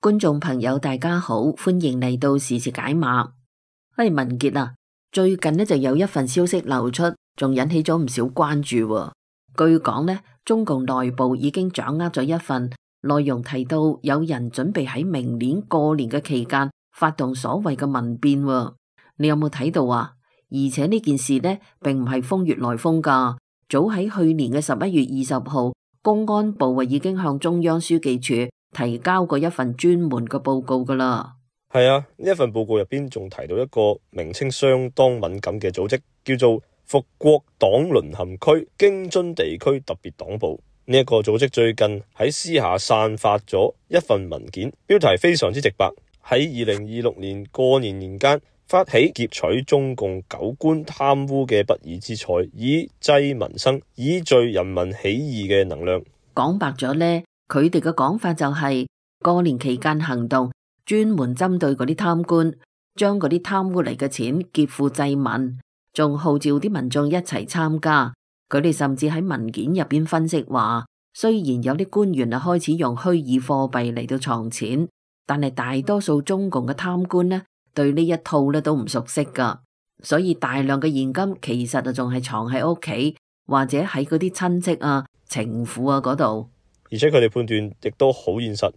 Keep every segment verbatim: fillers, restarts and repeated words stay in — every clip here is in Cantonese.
觀眾朋友大家好，歡迎嚟到時事解碼。喂，文傑啊，最近呢就有一份消息流出，仲引起咗唔少關注喎。據講呢，中共內部已經掌握咗一份內容，提到有人準備喺明年過年嘅期間發動所謂嘅民變喎。你有冇睇到啊？而且呢件事呢，並唔係風月來風噶，早喺去年嘅十一月二十號，公安部啊已經向中央書記處提交過一份專門嘅報告噶啦。係啊，呢一份報告入邊仲提到一個名稱相當敏感嘅組織，叫做復國黨淪陷區京津地區特別黨部。呢、這、一個組織最近喺私下散發咗一份文件，標題非常之直白，喺二零二六年過年年間發起劫取中共九官貪污嘅不義之財，以濟民生，以聚人民起義嘅能量。講白咗呢，佢哋嘅講法就係、是、過年期間行動，專門針對嗰啲貪官，將嗰啲貪污嚟嘅錢劫富濟民，仲號召啲民眾一齊參加。佢哋甚至喺文件入邊分析話，雖然有啲官員啊開始用虛擬貨幣嚟到藏錢，但係大多數中共嘅貪官呢，對呢一套咧都唔熟悉噶，所以大量嘅現金其實啊仲係藏喺屋企，或者喺嗰啲親戚啊、情婦啊嗰度。而且佢哋判斷亦都好現實，呢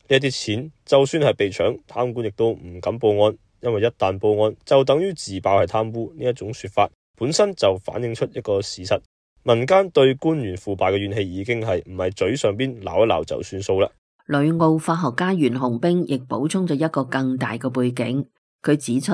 一啲錢就算係被搶，貪官亦都唔敢報案，因為一旦報案就等於自爆係貪污。呢一種說法本身就反映出一個事實，民間對官員腐敗嘅怨氣已經係唔係嘴上邊鬧一鬧就算數啦。旅澳法學家袁洪兵亦補充咗一個更大嘅背景，佢指出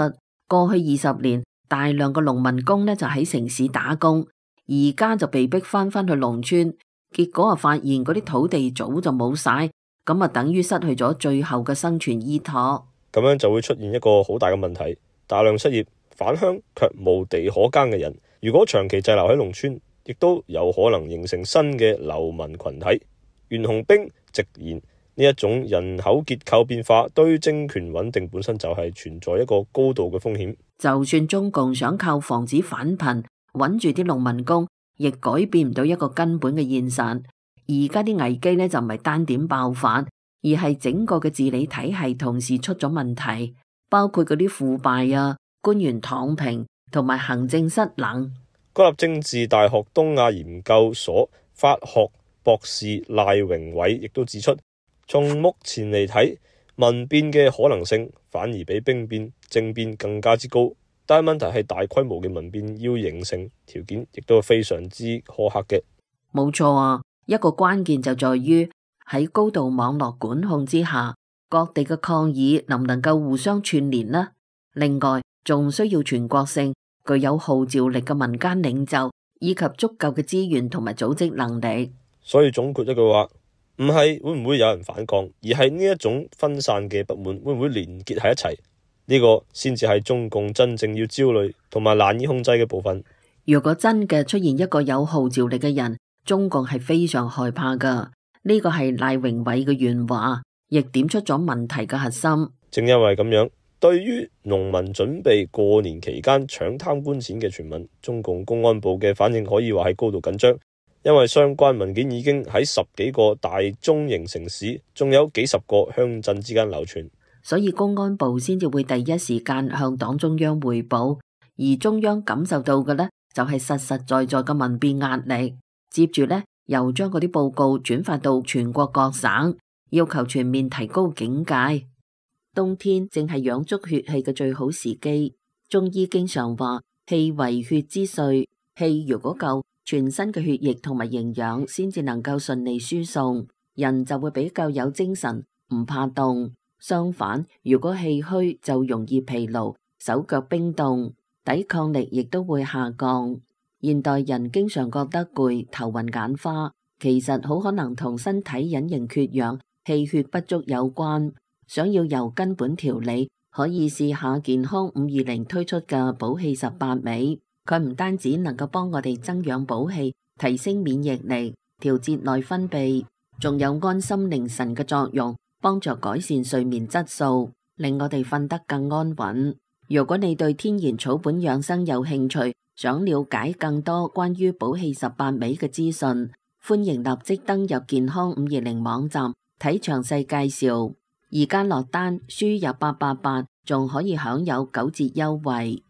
過去二十年大量嘅農民工呢就喺城市打工，而家就被逼翻返去農村。結果啊，發現嗰啲土地早就冇晒，咁啊，等於失去咗最後嘅生存依託。咁樣就會出現一個好大嘅問題，大量失業返鄉卻無地可耕嘅人，如果長期滯留喺農村，亦都有可能形成新嘅流民群體。袁洪兵直言，呢一種人口結構變化對政權穩定本身就係存在一個高度嘅風險。就算中共想靠防止返貧穩住啲農民工，亦改變唔到一個根本嘅現實。而家啲危機呢，就唔係單點爆發，而係整個嘅治理體系同時出咗問題，包括嗰啲腐敗啊、官員躺平同埋行政失能。國立政治大學東亞研究所法學博士賴榮偉亦都指出，從目前嚟睇，民變嘅可能性反而比兵變、政變更加之高。但係問題係大規模嘅民變要形成條件，亦都非常之苛刻嘅。冇錯啊，一個關鍵就在於喺高度網絡管控之下，各地嘅抗議能唔能夠互相串聯呢？另外，仲需要全國性、具有號召力嘅民間領袖，以及足夠嘅資源同埋組織能力。所以總括一句話，唔係會唔會有人反抗，而係呢一種分散嘅不滿會唔會連結喺一齊？呢個先至係中共真正要焦慮同埋難以控制嘅部分。如果真嘅出現一個有號召力嘅人，中共係非常害怕噶。呢個係賴榮偉嘅原話，亦點出咗問題嘅核心。正因為咁樣，對於農民準備過年期間搶貪官錢嘅傳聞，中共公安部嘅反應可以話係高度緊張，因為相關文件已經喺十幾個大中型城市，仲有幾十個鄉鎮之間流傳。所以公安部先至會第一時間向黨中央匯報，而中央感受到嘅呢，就係實實在在嘅民變壓力。接住呢，又將嗰啲報告轉發到全國各省，要求全面提高警戒。冬天正係養足血氣嘅最好時機。中醫經常話，氣為血之髓，氣如果夠，全身嘅血液同埋營養先至能夠順利輸送，人就會比較有精神，唔怕凍。相反，如果氣虛就容易疲勞，手腳冰凍，抵抗力亦都會下降。現代人經常覺得攰、頭暈眼花，其實好可能同身體隱形缺氧、氣血不足有關。想要由根本調理，可以試下健康五二零推出嘅補氣十八味。佢唔單止能夠幫我哋增養補氣、提升免疫力、調節內分泌，仲有安心寧神嘅作用，幫助改善睡眠質素，令我哋瞓得更安穩。如果你對天然草本養生有興趣，想了解更多關於補氣十八味嘅資訊，歡迎立即登入健康五二零網站睇詳細介紹。而家落單輸入八八八，仲可以享有九折優惠。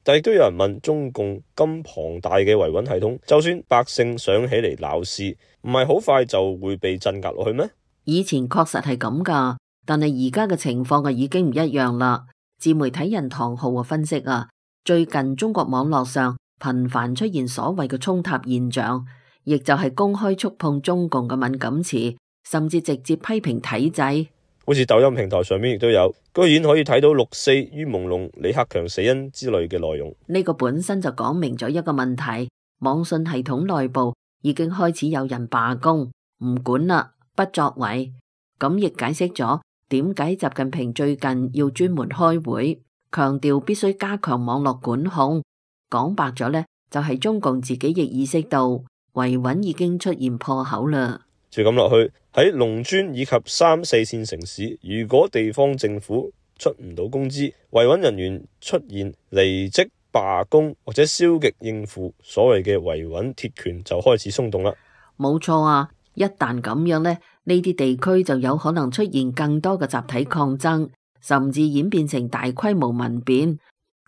但亦都有人問，中共咁龐大嘅維穩系統，就算百姓想起嚟鬧事，唔係好快就會被鎮壓落去咩？以前確實係咁噶，但係而家嘅情況啊已經唔一樣啦。自媒體人唐浩啊分析啊，最近中國網絡上頻繁出現所謂嘅衝塔現象，亦就係公開觸碰中共嘅敏感詞，甚至直接批評體制。好似抖音平台上面亦都有，居然可以睇到六四於朦朧、李克強死因之類嘅內容。呢個本身就講明咗一個問題，網信系統內部已經開始有人罷工，唔管啦，不作為。咁亦解釋咗點解習近平最近要專門開會，強調必須加強網絡管控。講白咗呢，就係中共自己亦意識到維穩已經出現破口啦。就咁落去，喺農村以及三四線城市，如果地方政府出唔到工資，維穩人員出現離職、罷工或者消極應付，所謂嘅維穩鐵拳就開始鬆動啦。冇錯啊，一旦咁樣呢，呢啲地區就有可能出現更多嘅集體抗爭，甚至演變成大規模民變。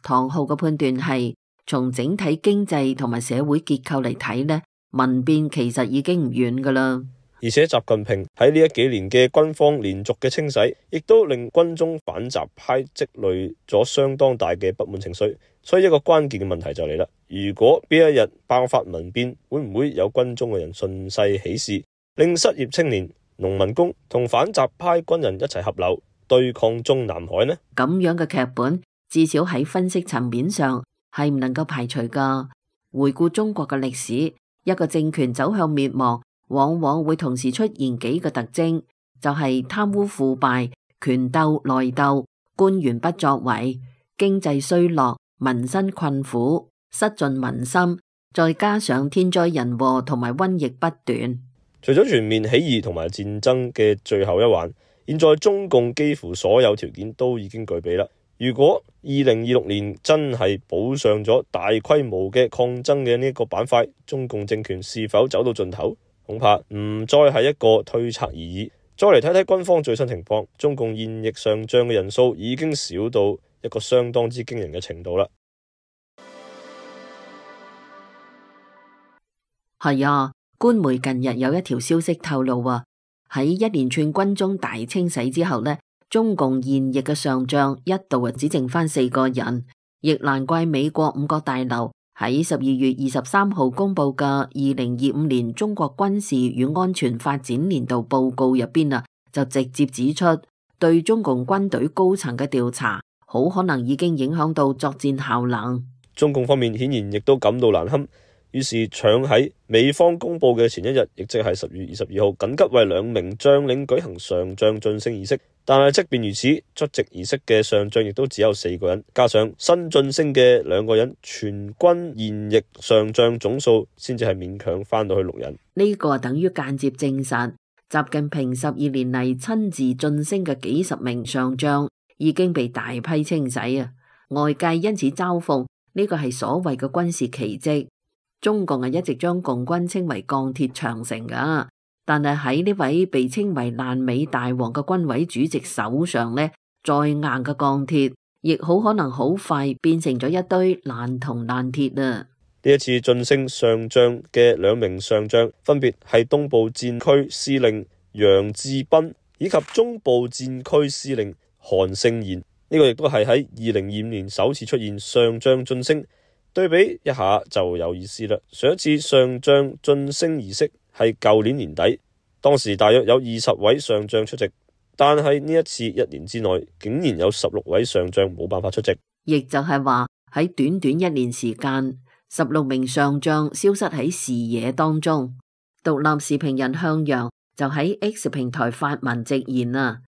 唐浩嘅判斷係，從整體經濟同埋社會結構嚟睇呢，民變其實已經唔遠噶啦。而且習近平喺呢一幾年嘅軍方連續嘅清洗，亦都令軍中反習派積累咗相當大嘅不滿情緒。所以一個關鍵嘅問題就嚟啦，如果邊一日爆發民變，會唔會有軍中嘅人順勢起事，令失業青年、農民工同反習派軍人一齊合流對抗中南海呢？咁樣嘅劇本，至少喺分析層面上係唔能夠排除噶。回顧中國嘅歷史，一個政權走向滅亡，往往會同時出現幾個特徵，就係貪污腐敗、權鬥內鬥、官員不作為、經濟衰落、民生困苦、失盡民心，再加上天災人禍同埋瘟疫不斷。除咗全面起義同埋戰爭嘅最後一環，現在中共幾乎所有條件都已經具備啦。如果二零二六年真係補上咗大規模嘅抗爭嘅呢個板塊，中共政權是否走到盡頭？恐怕唔再係一個推測而已。再嚟睇睇軍方最新情況，中共現役上將嘅人數已經少到一個相當之驚人嘅程度啦。係啊，官媒近日有一條消息透露啊，喺一連串軍中大清洗之後呢，中共現役嘅上將一度啊只剩翻四個人，亦難怪美國五角大樓喺十二月二十三號公布嘅二零二五年中國軍事與安全發展年度報告入邊啊，就直接指出對中共軍隊高層嘅調查，好可能已經影響到作戰效能。中共方面顯然亦都感到難堪，於是搶喺美方公布嘅前一日，亦即係十月二十二號，緊急為兩名將領舉行上將晉升儀式。但係即便如此，出席儀式嘅上將亦都只有四個人，加上新晉升嘅兩個人，全軍現役上將總數先至係勉強翻到去六人。呢個等於間接證實，習近平十二年嚟親自晉升嘅幾十名上將已經被大批清洗啊！外界因此嘲諷呢個係所謂嘅軍事奇蹟。中共係一直將共軍稱為鋼鐵長城噶。但係喺呢位被稱為爛尾大王嘅軍委主席手上呢，再硬嘅鋼鐵，亦好可能好快變成咗一堆爛銅爛鐵啊！呢一次晉升上將嘅兩名上將，分別係東部戰區司令楊志斌以及中部戰區司令韓勝賢。呢、這個亦都係喺二零二五年首次出現上將晉升，對比一下就有意思啦。上一次上將晉升儀式係舊年年底，當時大約有二十位上將出席，但係呢一次一年之內，竟然有十六位上將冇辦法出席，亦就係話喺短短一年時間，十六名上將消失喺視野當中。獨立視頻人向陽就喺 X 平台發文直言啊，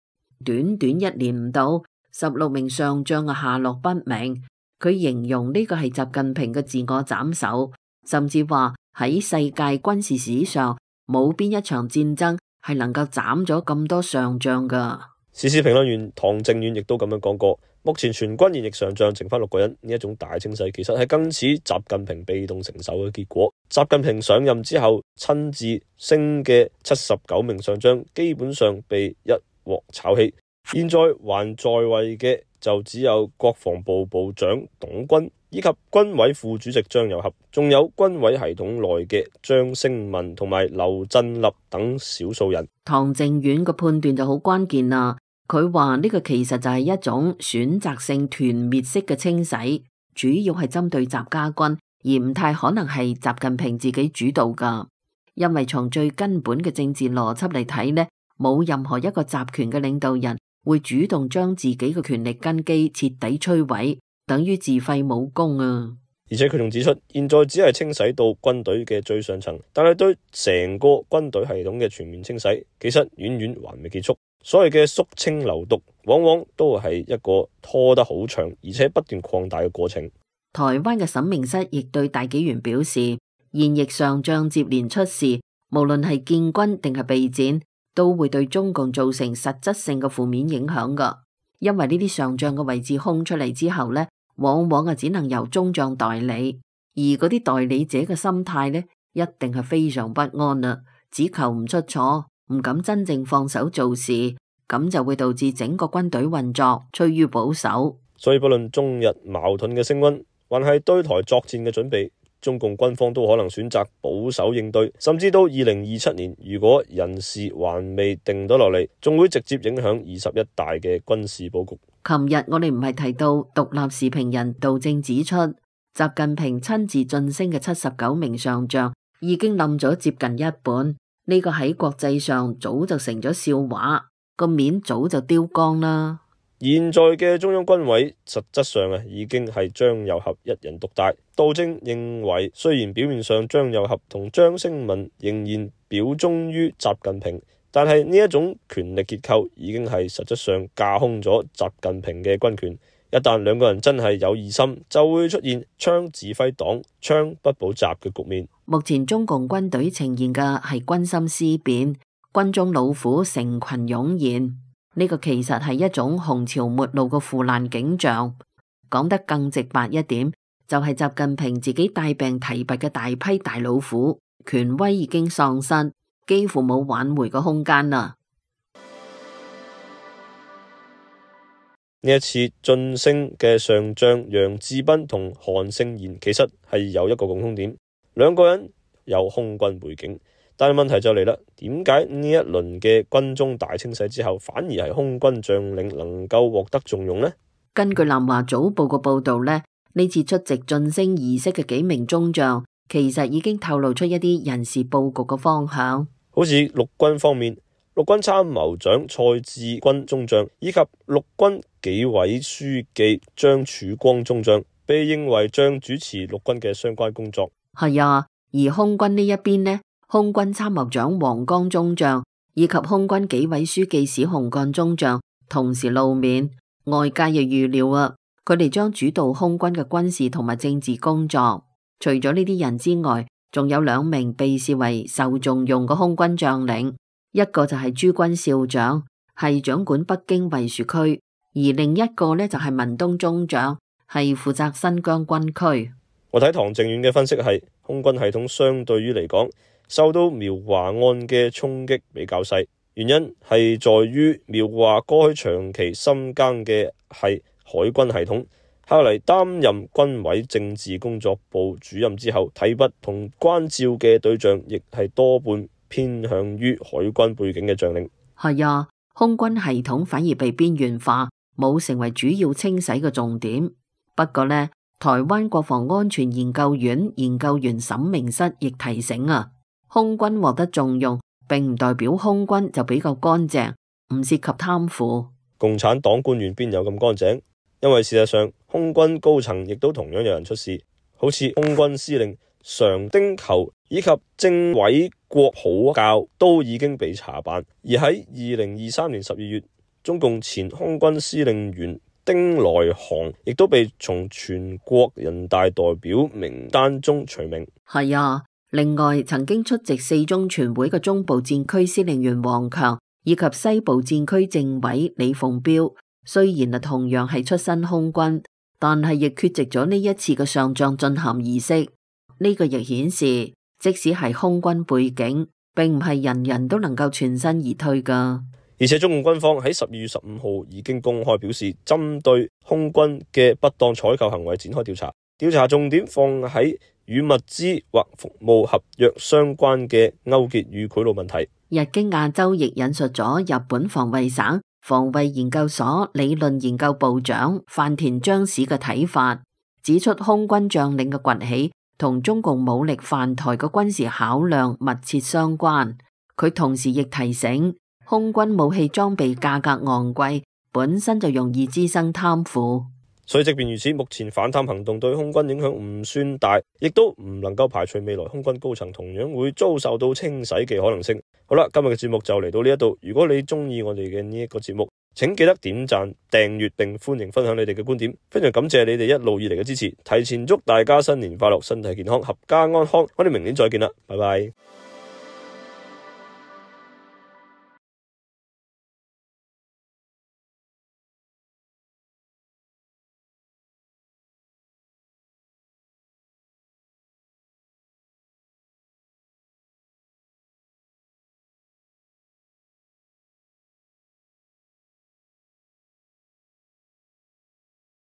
短短一年唔到，十六名上將嘅下落不明。佢形容呢個係習近平嘅自我斬首，甚至話喺世界軍事史上冇邊一場戰爭係能夠斬咗咁多上將噶。時事評論員唐正遠亦都咁樣講過，目前全軍現役上將剩翻六個人，呢一種大清洗其實係更似習近平被動承受嘅結果。習近平上任之後親自升嘅七十九名上將，基本上被一鑊炒起。現在還在位嘅就只有國防部部長董軍以及軍委副主席張又俠，仲有軍委系統內嘅張升民同埋劉振立等少數人。唐靖遠嘅判斷就好關鍵啦。佢話呢個其實就係一種選擇性團滅式嘅清洗，主要係針對習家軍，而唔太可能係習近平自己主導噶。因為從最根本嘅政治邏輯嚟睇呢，冇任何一個集權嘅領導人會主動將自己嘅權力根基徹底摧毀，等於自廢武功啊！而且佢仲指出，現在只係清洗到軍隊嘅最上層，但係對成個軍隊系統嘅全面清洗，其實遠遠還未結束。所謂嘅肅清流毒，往往都係一個拖得好長，而且不斷擴大嘅過程。台灣嘅審命室亦對大紀元表示，現役上將接連出事，無論係建軍定係備戰，都會對中共造成實質性嘅負面影響噶。因為呢啲上將嘅位置空出嚟之後呢，往往啊只能由中將代理，而嗰啲代理者嘅心態呢，一定係非常不安啦，只求唔出錯，唔敢真正放手做事，咁就會導致整個軍隊運作趨於保守。所以不論中日矛盾嘅升溫，還係對台作戰嘅準備，中共軍方都可能選擇保守應對，甚至到二零二七年，如果人事還未定到落嚟，仲會直接影響二十一大嘅軍事佈局。琴日我哋唔係提到獨立時評人杜正指出，習近平親自晉升嘅七十九名上將已經冧咗接近一半，呢個喺國際上早就成咗笑話，個面早就丟光啦。現在嘅中央軍委實質上啊，已經係張又俠一人獨大。杜正認為，雖然表面上張又俠同張升民仍然表忠於習近平，但係呢一種權力結構已經係實質上架空咗習近平嘅軍權。一旦兩個人真係有異心，就會出現槍指揮黨、槍不保習嘅局面。目前中共軍隊呈現嘅係軍心思變，軍中老虎成群湧現。呢個其實係一種洪潮末路嘅腐爛景象。講得更直白一點，就係習近平自己帶病提拔嘅大批大老虎，權威已經喪失，幾乎冇挽回嘅空間啦。呢一次晉升嘅上將楊志斌同韓勝賢，其實係有一個共通點，兩個人有空軍背景。但係問題就嚟啦，點解呢一輪嘅軍中大清洗之後，反而係空軍將領能夠獲得重用呢？根據南華早報嘅報道呢，呢次出席晉升儀式嘅幾名中將，其實已經透露出一啲人事佈局嘅方向。好似陸軍方面，陸軍參謀長蔡志軍中將以及陸軍紀委書記張曙光中將，被認為將主持陸軍嘅相關工作。係啊，而空軍呢一邊呢？空軍參謀長黃岡中將以及空軍紀委書記史洪幹中將同時露面，外界亦預料啊，佢哋將主導空軍嘅軍事同埋政治工作。除咗呢啲人之外，仲有兩名被視為受重用嘅空軍將領，一個就係諸軍少將，係掌管北京衛戍區，而另一個呢，就係文東中將，係負責新疆軍區。我睇唐靖遠嘅分析係，空軍系統相對於嚟講，受到苗華案嘅衝擊比較細，原因係在於苗華過去長期深耕嘅係海軍系統，後嚟擔任軍委政治工作部主任之後，提拔同關照嘅對象亦係多半偏向於海軍背景嘅將領。係啊，空軍系統反而被邊緣化，冇成為主要清洗嘅重點。不過呢，台灣國防安全研究院研究員沈明室亦提醒啊，空軍獲得重用，並唔代表空軍就比較乾淨，唔涉及貪腐。共產黨官員邊有咁乾淨？因為事實上，空軍高層亦都同樣有人出事，好似空軍司令常丁球以及政委郭普教都已經被查辦。而喺二零二三年十二月，中共前空軍司令員丁來航亦都被從全國人大代表名單中除名。係啊。另外，曾經出席四中全會嘅中部戰區司令員王強以及西部戰區政委李鳳彪，雖然啊同樣係出身空軍，但係亦缺席咗呢一次嘅上將進涵儀式。呢個亦顯示，即使係空軍背景，並唔係人人都能夠全身而退噶。而且中共軍方喺十二月十五號已經公開表示，針對空軍嘅不當採購行為展開調查，調查重點放喺與物資或服務合約相關嘅勾結與賄賂問題。日經亞洲亦引述咗日本防衛省防衛研究所理論研究部長飯田章史嘅睇法，指出空軍將領嘅崛起同中共武力犯台嘅軍事考量密切相關。佢同時亦提醒，空軍武器裝備價格昂貴，本身就容易滋生貪腐。所以即便如此，目前反貪行動對空軍影響唔算大，亦都唔能夠排除未來空軍高層同樣會遭受到清洗嘅可能性。好啦，今日嘅節目就嚟到呢一度。如果你中意我哋嘅呢一個節目，請記得點讚、訂閱並歡迎分享你哋嘅觀點。非常感謝你哋一路以嚟嘅支持，提前祝大家新年快樂，身體健康，合家安康。我哋明年再見啦，拜拜。